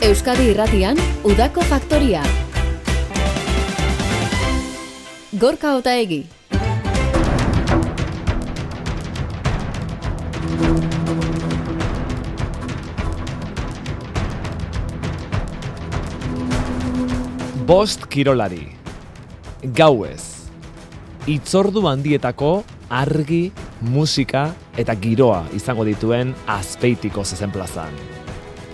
Euskadi Irratian, Udako Faktoria. Gorka Otaegi. Bost kirolari. Gauez. Itzordu handietako argi, musika eta giroa izango dituen Azpeitiko zezenplazan.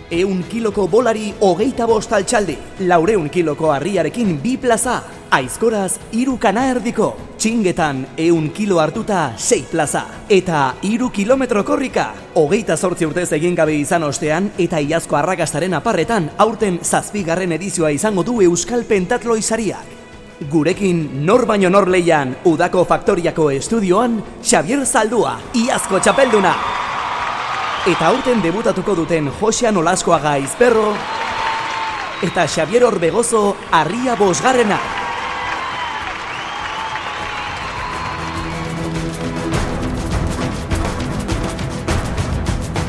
100 kiloko bolari 25 altxaldi, 400 kiloko harriarekin 2 plaza, aizkoraz 3 kana erdiko, txingetan 100 kilo hartuta 6 plaza, eta 3 kilometro korrika, 28 urtez egin gabe izan ostean, eta iazko arrakastaren aparretan, aurten 7. edizioa izango du Euskal Pentatloi sariak. Gurekin nor baino nor leian, Udako Faktoriako estudioan, Xabier Zaldua, iazko txapelduna. Eta aurten debutatuko duten Josean Olaskoaga Izperro eta Xabier Orbegozo Harria 5.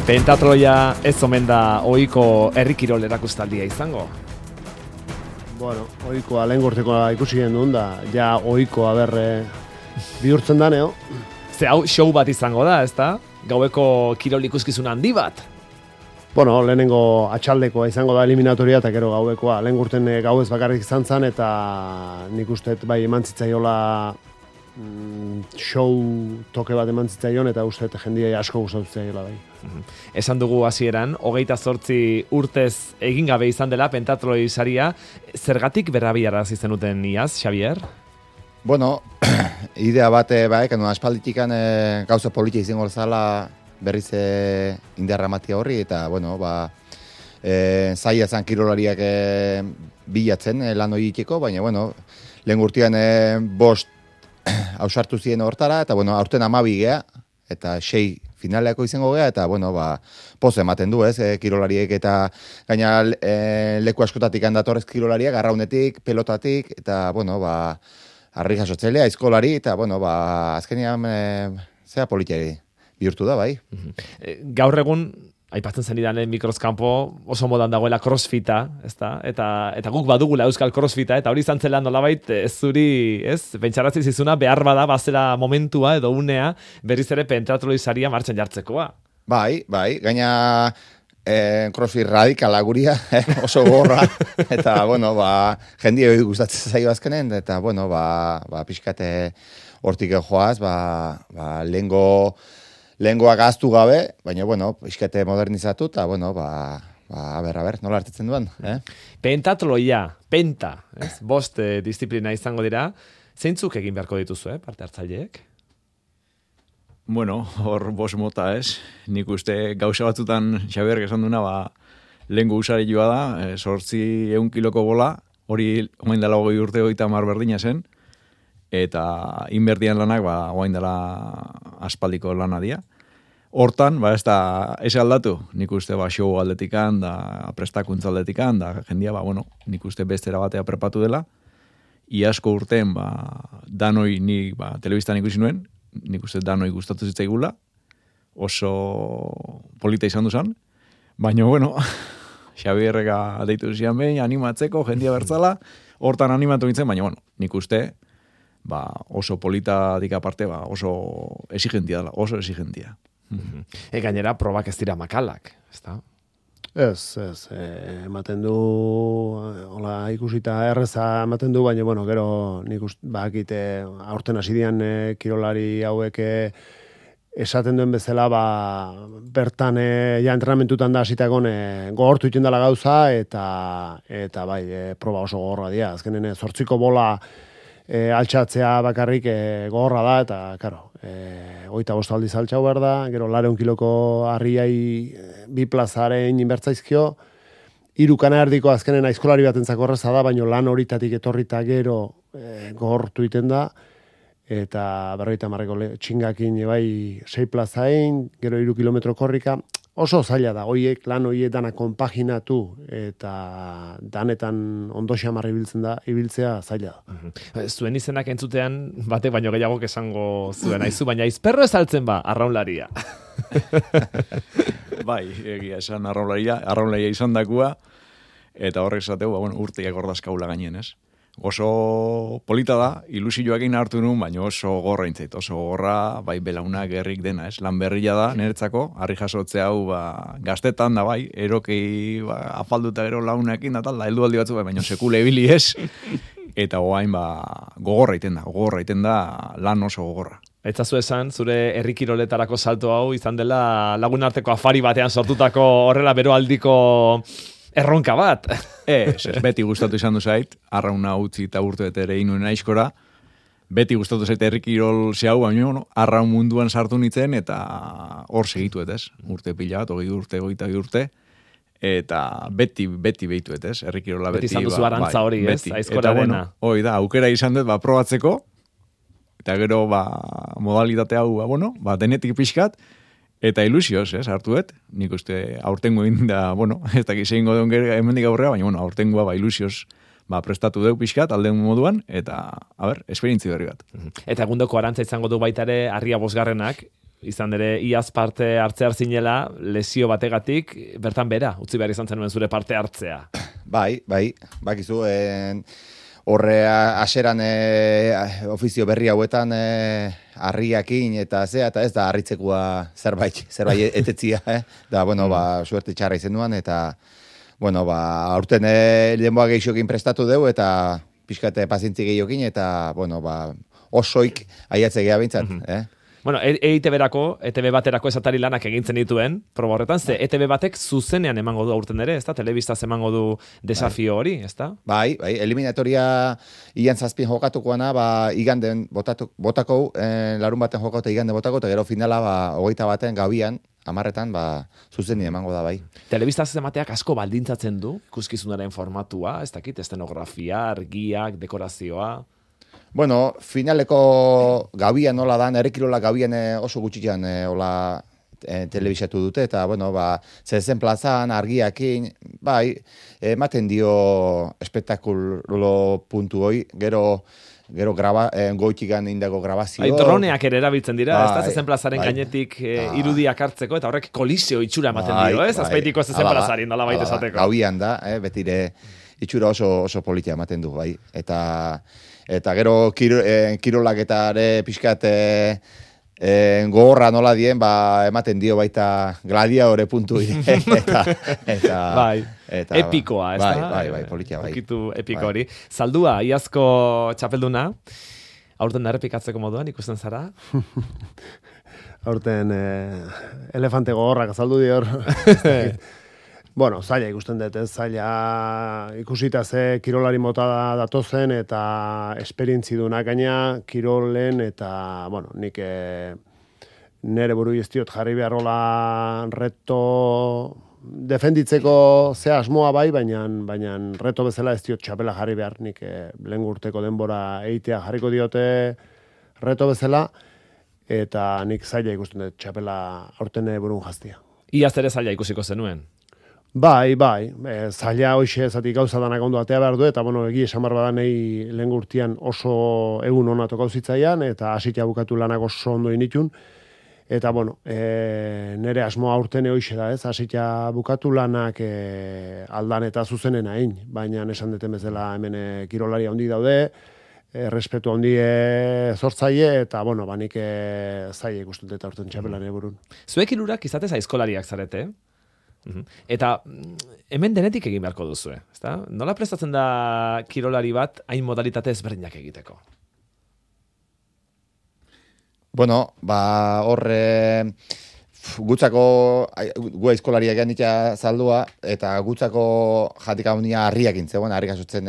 Pentatloia ez omen da ohiko herri kirol erakustaldia izango. Bueno, ohikoa lehen gortekoa ikusi genuen da, ja ohikoa bihurtzen da, neo. Ze hau show bat izango da, ezta? Gaueko kirol ikuskizun handi bat. Bueno, lehenengo atxaldekoa izango da eliminatoria eta gero gauekoa. Lehen gurten gauez bakarrik izan zen eta nik uste bai eman zitzaiola show toke bat eman zitzaion eta uste jendia asko gustatu zitzaiola bai. Esan dugu hasieran, 28 urtez egin gabe izan dela Pentatloi saria. Zergatik berrabiarazi zenuten iaz, Xabier? Bueno, idea bat aspalditikan gauza politia izango zala berriz indarra ematea horri, eta, bueno, zaila zan kirolariak bilatzen lan hori iteko, baina, bueno, lehen gurtian 5 ausartu ziren hortara, eta, bueno, aurten 12 gea, eta 6 finaleako izango gea, eta, bueno, poz ematen du, kirolariek, eta gaina leku askotatik handatorrez kirolariak, arraunetik, pelotatik, eta, bueno, harri jasotzelea, aizkolari, eta, bueno, azkenean zea politiari bihurtu da, bai. Gaur egun, aipatzen zenidan mikroskampo, oso modan dagoela crossfita, ezta? Eta guk badugula euskal crossfita, eta hori izan zela nolabait zuri, ez? Pentsaratzi zizuna behar bada bazela momentua edo unea berriz ere Pentatloi saria martxan jartzekoa. Bai, gaina crossfit radikala guria, oso gorra, eta, bueno, jendia hori gustatzen zaio azkenen, eta, bueno, pixkate hortik joaz, lehengoa gaztu gabe, baina, bueno, pixkate modernizatu, eta, bueno, a ber, nola hartetzen duen, Pentatloia, penta, ez? 5 disiplina izango dira, zeintzuk egin beharko dituzu, parte hartzaileek? Bueno, hor 5 mota, ez? Nik uste gauza batzutan Xabier esan duna, lehengo usarioa da, 800 kiloko bola, hori oain dela 20 urte 30 berdina zen, eta inberdian lanak, oain dela aspaldiko lana dia. Hortan, ez da, ez aldatu, nik uste show aldetikan, da prestakuntza aldetikan, da jendia, nik uste bestera batea prepatu dela, iasko urten, danoi nik telebistan ikusi nuen, nik uste danoi gustatu zitzaigula, oso polita izan duzan, baina, Xabierreka deitu zian behin, animatzeko, jendia bertzala, hortan animatu nintzen, baina, nik uste, oso polita aparte, oso exigentia dela, oso exigentia. Gainera, probak ez dira makalak, ezta? Ez, ematen du, hola ikusita erreza ematen du, baina, gero nik bakite aurten hasidian kirolari hauek esaten duen bezala, bertan ja entrenamentutan da hasitagon gogortu iten dela gauza, eta bai, proba oso gogorra dira. Azkenen 8 bola altxatzea bakarrik gogorra da, eta, karo, 25 aldiz altxau behar da, gero 400 kiloko harriai 2 plazaren inbertzaizkio, 3 kana erdiko azkenen aizkolari batentzako erraza da, baina lan horitatik etorrita gero gogortu iten da, eta 50 txingakin bai 6 plazain, gero 3 kilometro korrika, oso zaila da, lan hoiek dana konpaginatu eta danetan ondo xamar ibiltzea zaila da. Zuen izenak entzutean batek baino gehiagok esango zuen aizu, baina Izperro ez altzen arraunlaria. Bai, egia esan arraunlaria izan dakua, Eta horrek esateu, urteak ordazkaula gainen, ez? Oso polita da, ilusioakin hartu nun, baina oso gorra intzait, oso gorra, bai belaunak gerrik dena, ez? Lan berria da, niretzako, harri jasotzea hau, gaztetan da bai, erokei afalduta gero launakin da tal, da heldu aldi batzu, baina sekule ebili ez, eta oain gogorra iten da, lan oso gogorra. Etzazu esan, zure herrikiroletarako salto hau izan dela lagun arteko afari batean sortutako horrela beroaldiko erronka bat. Ez, beti gustatu izan du zait, arrauna utzi eta urte ere inuen aizkora, beti gustatu zait herrikirol zehau, baina arraun munduan sartu nitzen, eta hor segitu ez, urte pila bat, 20 urte, eta beti behitu ez, herrikirola beti. Beti izan duzu arantza hori, ez, aizkora dena. Hoi da, aukera izan dut, probatzeko, eta gero, modalitate hau, denetik pixkat, eta ilusioz, hartuet, nik uste aurtengo egin da, ez dakiz egingo deun hemendik aurrea, baina aurtengoa ilusioz prestatu deu pixkat, aldeun moduan, eta, esperientzi berri bat. Eta egundoko arantza izango du baita ere, Harria bosgarrenak, izan ere, iaz parte hartzea zinela, lesio bategatik, bertan bera, utzi behar izan zenuen zure parte hartzea. Bai, bakizu, horre aseran ofizio berri hauetan harriakin eta eta ez da harritzekoa zerbait etetzia, da, suerte txarra izen duan, eta, aurten lehenboa gehiokin prestatu deu, eta pixkate pazientzi gehiokin, eta, osoik aiatze geha bintzat, ETV baterako esatari lanak egintzen dituen, proba horretan, ze ETV batek zuzenean emango du aurten ere, ez da? Telebistaz emango du desafio hori, ez da? Bai, eliminatoria ian zazpien jokatukoana, iganden botako, larun baten jokatu igande botako, eta gero finala, 21 baten gabian, 10etan, zuzenien emango da, bai. Telebistaz emateak asko baldintzatzen du, ikuskizunaren formatua, ez dakit, estenografia, argiak, dekorazioa. Finaleko gabian nola dan, errekirola gabian oso gutxian telebisatu dute, eta, zezen plazan, argiakin, ematen dio espektakulo puntu hoi, gero goitikan indago grabazio. Droneak ere erabiltzen dira, ez da zezen plazaren gainetik irudiak hartzeko, eta horrek kolisio itxura ematen dio, ez? Azpeitiko zezen plazari nola baita esateko. Gabian da, betire itxura oso politia ematen du, bai. Eta gero kirolak eta ere pixkat gogorra nola dien, ematen dio baita gladiadore puntu eta epikoa, ez da? Bai, politia, bai. Okitu epiko hori. Zaldua, iazko txapelduna, aurten da errepikatzeko moduan, ikusten zara? Aurten elefante gogorrak azaldu dior. Zaila ikusten dut, zaila ikusita ze kirolari mota datozen eta esperientzi dunak gaina kirolen eta, nik nere buru iztiot jarri beharrola reto defenditzeko ze asmoa bai, baina reto bezala ez diot txapela jarri behar, nik lehen urteko denbora eitea jarriko diote reto bezala, eta nik zaila ikusten dut txapela aurten burun jaztia. Iaz ere zaila ikusiko zenuen? Bai, zaila hoxe zatik gauza danak ondo atea behar du, eta egi esan barba da nahi lehen urtean oso egun onatu gauzitzaian, eta hasitia bukatu lanak oso ondo initun, eta nere asmoa aurten hoxe da, ez, hasitia bukatu lanak aldan eta zuzenen hain, baina esan deten bezala hemen kirolari handi daude, respetu handi zortzaile, eta nik zaila ikusten dut aurten txapelan burun. Zuek hirurak izatez aizkolariak zarete, eta hemen denetik egin beharko duzu, ezta? Nola prestatzen da kirolari bat hain modalitate ezberdinak egiteko? Horre gutzako gu aizkolariak ganitia zaldua, eta gutzako jatik haunia harriak intzegoen, harrik asotzen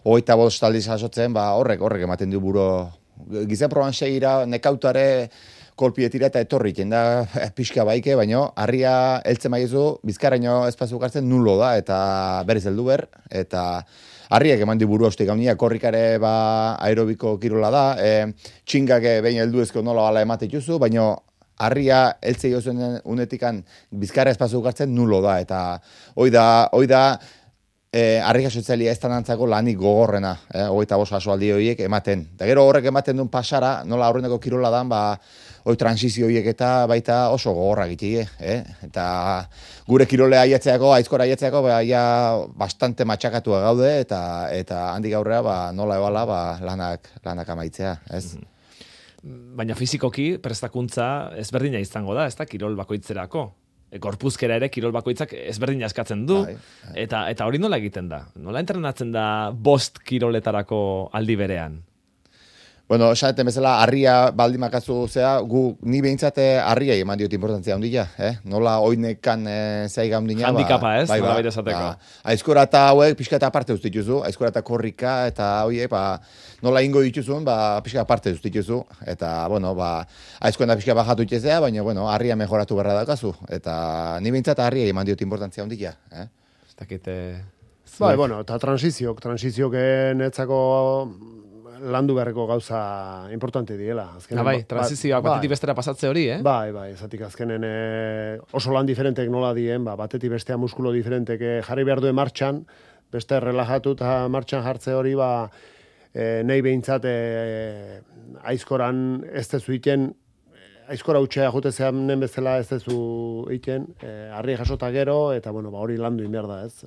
25 aldiz asotzen, horrek ematen du buro. Gizan proban segira, nekautare kolpietira eta etorri, da pixka baike, baino harria heltzen maizu, bizkaraino espazu gartzen nulo da, eta berriz heldu ber, eta harriak eman di buru haustik gaunia, korrikare aerobiko kirola da, txingak behin heldu ezko nola bala emateituzu, baino harria heltzei ozen unetikan bizkara espazu gartzen nulo da, eta hoi da harri jasotzailea ez danantzako lanik gogorrena, 25 jasoaldi horiek ematen. Eta gero horrek ematen duen pasara, nola aurreneko kirola dan, transizio horiek eta baita oso gogorra gitie, Eta gure kirolea aiatzeako, aizkora aiatzeako, bastante matxakatua gaude, eta handik aurrera, nola ebala, lanak amaitzea, ez? Baina fizikoki prestakuntza ezberdina izango da, ez da, kirol bakoitzerako. Gorpuzkera ere kirol bakoitzak ezberdina eskatzen du, eta hori nola egiten da? Nola entrenatzen da 5 kiroletarako aldi berean? Bueno, esaten bezala, harria baldin makazu zea, ni behintzat harriai eman diot importantzia handia, Nola oinekan zeiga handina. Handikapa, ez? Nola bere esateko. Aizkora eta hauek pixka eta aparte dituzu, aizkora eta korrika, eta hoiek, nola ingo dituzun, pixka aparte dituzu, eta, aizkoen da pixka bajatu itxezea, baina, harria mejoratu berra dakazu, eta ni behintzat harriai eman diot importantzia handia, Ez dakite... Eta transizioak netzako landu beharreko gauza importante diela. Transizioak batetik bestera pasatze hori, Bai, ezatik azkenen oso lan diferentek nola dien, batetik bestea muskulo diferentek jarri behar duen martxan, beste relajatu eta martxan jartze hori, nahi behintzat aizkoran ez tezu iten, aizkora utxea jute zeanen bezala ez tezu iten, harri jasota gero, eta hori landu inber da, ez?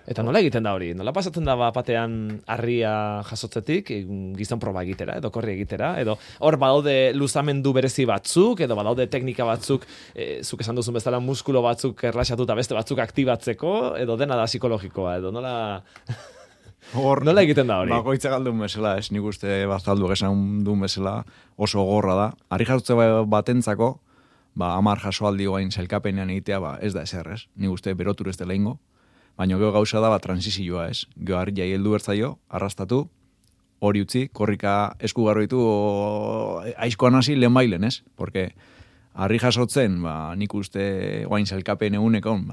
Eta nola egiten da hori? Nola pasatzen da batean harria jasotzetik, gizon proba egitera, edo korri egitera, edo hor badaude luzamendu berezi batzuk, edo badaude teknika batzuk, zuk esan duzun bezala muskulo batzuk erlaxatuta beste batzuk aktibatzeko, edo dena da psikologikoa, edo nola... Nola egiten da hori? Bakoitza galdun bezala, ez nik uste bazaldu esan duen bezala oso gorra da. Harri jasotze batentzako, 10 jasoaldi guain sailkapenean egitea, ez da ezer, ez? Nik uste berotur ez dela ingo. Baina gero gauza da transizioa, ez? Gero harria heldu bertzaio, arrastatu, hori utzi, korrika eskugarro ditu aizkoan hasi lehen bailen, ez? Porque harri jasotzen, nik uste guain sailkapen egunekon,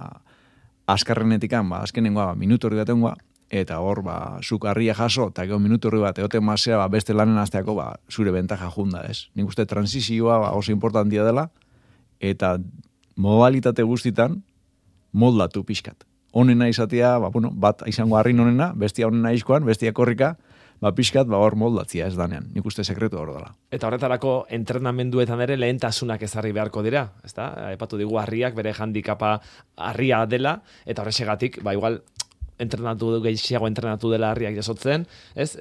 azkarrenetikan, azkenengoa, minutu hori batengoa, eta hor, zuk harria jaso, eta gero minutu hori bat, egoten mazea, beste lanen azteako, zure bentaja junda, ez? Nik uste transizioa oso importantia dela, eta modalitate guztitan moldatu pixkat. Honena izatea, bat izango harrin honena, bestia honena aizkoan, bestia korrika, pixkat, hor moldatzia ez danean. Nik uste sekretu hor dela. Eta horretarako entrenamenduetan ere lehentasunak ezarri beharko dira, ezta? Aipatu digu harriak bere handikapa harria dela, eta horrexegatik, igual gehiago entrenatu dela harriak jasotzen, ez?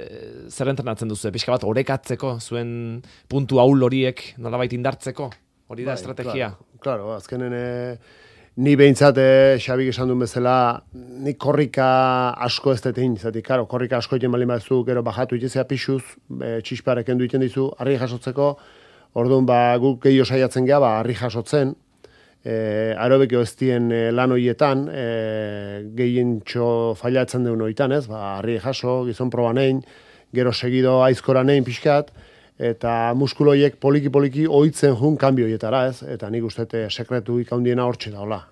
Zer entrenatzen duzu? Pixka bat orekatzeko, zuen puntu ahul horiek nolabait indartzeko? Hori da estrategia? Claro, azkenen... Ni behintzat, Xabik esan duen bezala, ni korrika asko ez detein, karo, korrika asko egin balin baduzu, gero bajatu itezea pixuz, txisparek endu iten dizu, harri jasotzeko, orduan guk gehiago saiatzen geha, harri jasotzen, aerobikio ez dien lan horietan, gehien failatzen duen horietan, ez, harri jaso, gizon proba nein, gero segido aizkora nein pixkat, eta muskuloiek poliki ohitzen jun kanbio hietara, ez? Eta nik uste sekretu ikaundiena hortxe daola.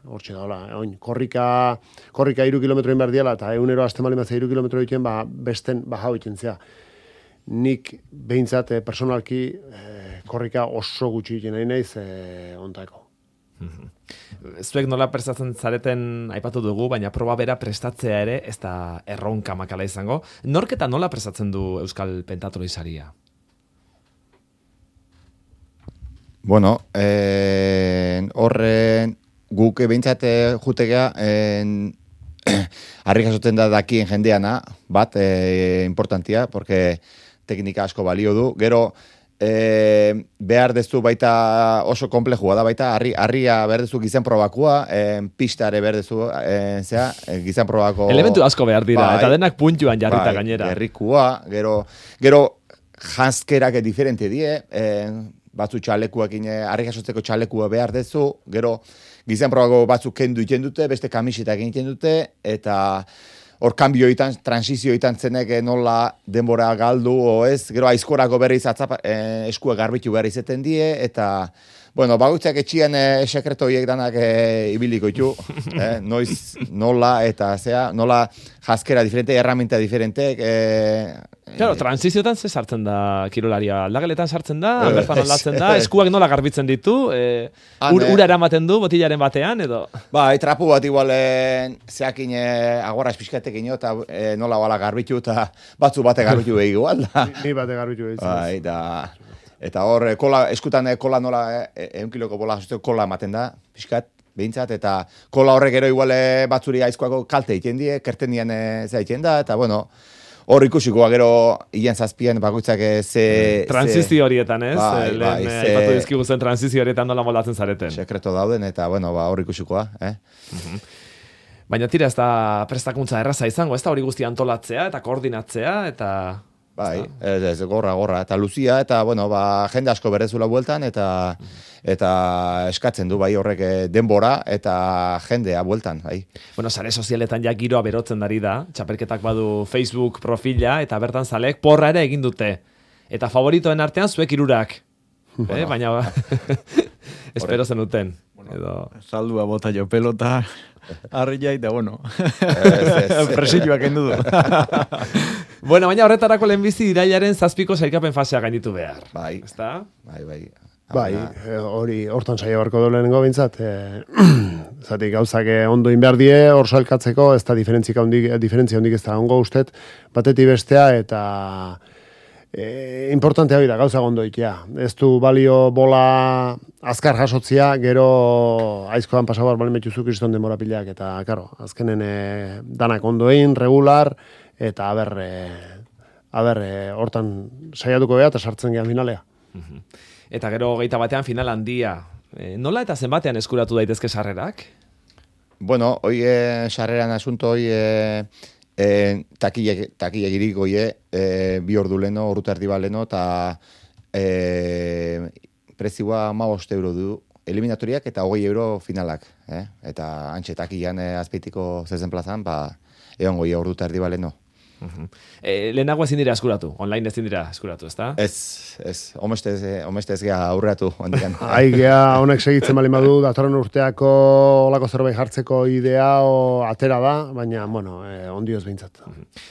Oin, korrika 3 kilometro behar diala, eta egunero azten bali mazia 3 kilometro egiten, besten baja egiten zea. Nik behintzat personalki korrika oso gutxi egiten nahi naiz ontako. Zuek nola prestatzen zareten aipatu dugu, baina proba bera prestatzea ere ez da erronka makala izango. Norketa nola prestatzen du Euskal Pentatloi saria? Bueno, horren guk behintzat jutegea harri jasotzen da dakien jendeana, bat importantia, porque teknika asko balio du. Gero, behar dezu baita oso komplejua da, baita harria behar dezu gizan probakua, pistare behar dezu gizan probako... Elementu asko behar dira, eta denak puntuan jarrita gainera. Gerrikua, gero janzkerak diferente die, batzu txalekuakin, harri jasotzeko txalekua behar dezu, gero gizan probako batzuk kendu iten dute, beste kamisetak egiten dute, eta hor kanbioitan, transizioitan zenek nola denbora galdu, o ez, gero aizkorako berriz eskua garbitu behar izeten die, eta Bueno, bakoitzak etxian sekreto horiek danak ibiliko ditu, noiz, nola, eta nola jaskera diferente, herramienta diferente. Claro, transiziotan ze sartzen da kirolaria? Aldageletan sartzen da, bertan aldatzen da, eskuak nola garbitzen ditu, ura eramaten du botillaren batean, edo? Bai, trapu bat igual zeakin agorraz pixkatekin eta nola bala garbitu, eta batzu bate garbitu behi igual. Ni bate garbitu behi. Bai, eta hor, eskutan kola nola, 1 kiloko bola kola ematen da, pixkat, behintzat, eta kola horrek ero igual batzuri aizkoako kalte egiten die, kerten dien egiten da, eta bueno, hor ikusikoa gero hilan zazpian bakoitzak transizio horietan, ez? Bai, aipatu dizkigu zen transizio horietan nola moldatzen zareten. Sekreto dauden, eta bueno, hor ikusikoa, Baina tira, ez da prestakuntza erraza izango, ez da hori guztia antolatzea, eta koordinatzea, eta... Bai, ez gorra, eta luzia, eta bueno, jende asko berezula bueltan, eta eskatzen du bai horrek denbora, eta jendea bueltan, bai. Bueno, sare sozialetan ja giroa berotzen dari da, txapelketak badu Facebook profila, eta bertan zalek porra ere egin dute. Eta favoritoen artean zuek 3. Baina espero zenuten. Zaldua bota jo pelota, arria eta bueno, presilloak endu du. Bueno, baina horretarako lehenbizi irailaren 7ko sailkapen fasea gainditu behar. Bai, ezta? Bai, hori hortan saio barko dolenengo bintzat, zatik gauzak ondo inbehar die, hor sailkatzeko, ez da diferentzia hondik ez da ongo ustet, batetik bestea, eta importantea bida, gauza ondo ikia. Ez du balio bola azkar jasotzia, gero aizkoan pasabar balen betuzuk kriston demora pilak, eta, karo, azkenen danak ondoin, regular, eta hortan saiatuko beha, eta sartzen gehan finalea. Eta gero 21 final handia. Nola eta zenbatean eskuratu daitezke sarrerak? Bueno, hoi sarreran asunto hoi takile giriko bi ordu leno, ordu erdi baleno, eta prezioa 15 euro du eliminatoriak eta 20 euro finalak. Eta antxe takilean azpeitiko zezen plazan, egon goi ordu erdi baleno. Lehenago ezin dira eskuratu, online ezin dira eskuratu, ezta? Ez, omestez geha aurreatu. Gea honek segitzen bali madu, datorren urteako olako zerbait jartzeko idea atera da, baina, bueno, ondioz behintzat.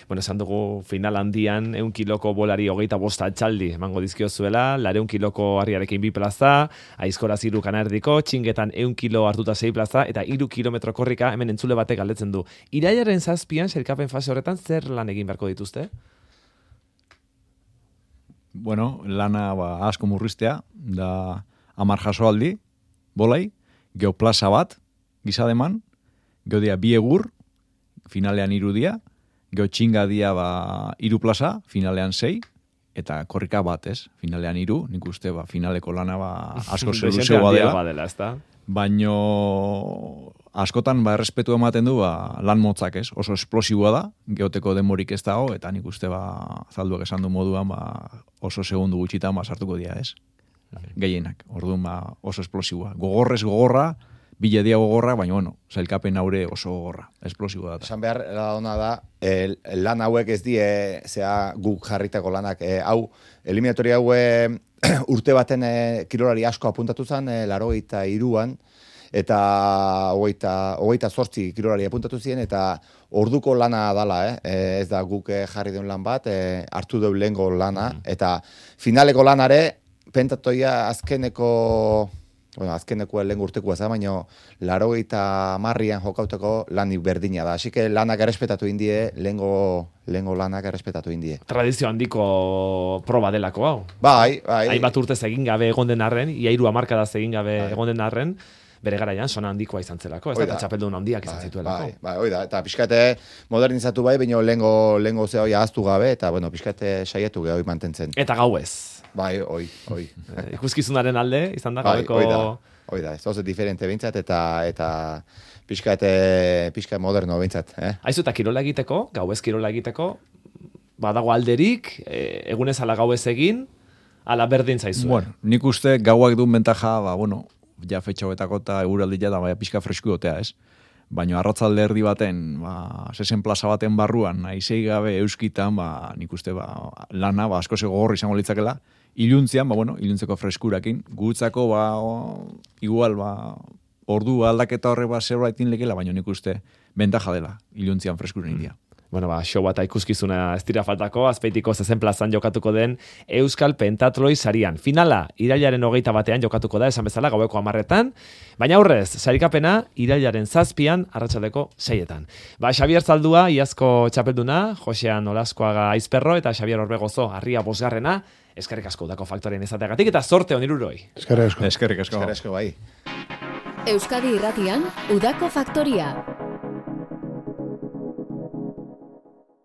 Bueno, esan dugu final handian, 1 kiloko bolari 25 altxaldi emango dizkiozuela, 200 kiloko harriarekin 2 plaza, Aizkoraz 3 kanardiko, Txingetan 1 kilo hartuta 6 plaza, eta 3 kilometro korrika hemen entzule batek galdetzen du. Irailaren 7an, sailkapen fase horretan, zer lan egin beharko dituzte? Bueno, lana asko murriztea, da 10 jasoaldi, bolai, geoplaza bat, gizademan, geodia 2 egur, finalean 3 dia, geotxinga dia 3 plaza, finalean 6, eta korrika bat, ez? Finalean 3, nik uste finaleko lana asko zeluzeoa dela. Baino askotan errespetu ematen du lan motzak, ez? Oso esplosiboa da, geoteko demorik ez dago, eta nik uste zalduak esan du moduan oso segundu gutxitan sartuko dira, ez? Gehienak, orduan oso esplosiboa. Gogorrez gogorra, bile dia gogorra, baina bueno, sailkapen haure oso gogorra, esplosiboa da. Esan behar ona da, lan hauek ez die, guk jarritako lanak, hau, eliminatori hau urte baten kirolari asko apuntatu zen, 83an, eta 28 kirolari apuntatu ziren, eta orduko lana dala, ez da guk jarri den lan bat, hartu deu lehengo lana, eta finaleko lanare, pentatoia azkeneko lehen urtekoa za, baina 80an jokauteko lanik berdina da. Así que lanak errespetatu indie, lehengo lanak errespetatu indie. Tradizio handiko proba delako hau. Bai. Hainbat urtez egin gabe egon den arren, ia 3 hamarkadaz egin gabe egon den arren, bere garaian sona handikoa izan zelako, ez da, txapeldun handiak izan zituelako. Bai, oida, eta pixkate modernizatu baina lehengo zehoi ahaztu gabe, eta bueno, pixkate saietu gehi mantentzen. Eta gauez. Bai, oi. Ikuskizunaren alde, izan da, gabeko... Oida, ez oso diferente bintzat, eta pixka moderno bintzat. Aizu, eta kirola egiteko, gauez kirola egiteko, badago alderik, egunez ala gauez egin, ala berdin zaizu. Bueno, nik uste gauak duen bentaja, ja fetxauetako eta eguraldia da, pixka fresku gotea, ez? Baina arratzalde erdi baten, sesen plaza baten barruan, aizei gabe euskitan, nik uste lana, asko gogorri izango litzakela, iluntzian, iluntzeko freskurakin, gutzako, igual, ordu aldaketa horre zerbaitin lekela, baina nik uste bentaja dela, iluntzian freskuren idia. Bueno, show bat ikuskizuna ez dira faltako, Azpeitiko zezen plazan jokatuko den Euskal Pentatloi sarian. Finala, irailaren 21 jokatuko da, esan bezala, gaueko 10:00, baina aurrez, sarikapena, irailaren 7 arratsaldeko 6:00. Xabier Zaldua, iazko txapelduna, Josean Olaskoaga Aizperro, eta Xabier Orbegozo, Arria 5. Eskerrik asko Udako Faktorien izateagatik, eta zorte on iruroi. Eskerrik asko. Eskerrik asko. Eskerrik asko, bai. Euskadi Irratian, Udako Faktoria.